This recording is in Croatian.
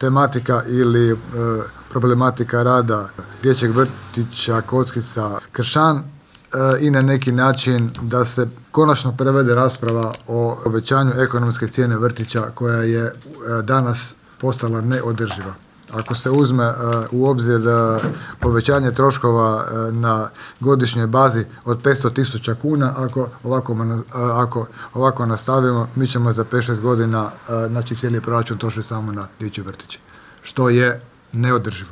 tematika ili problematika rada dječjeg vrtića Kockica Kršan i na neki način da se konačno prevede rasprava o povećanju ekonomske cijene vrtića koja je danas postala neodrživa. Ako se uzme u obzir povećanje troškova na godišnjoj bazi od 500.000 kuna, ako ovako nastavimo, mi ćemo za 5-6 godina cijeli proračun trošiti samo na dječje vrtiće, što je neodrživo.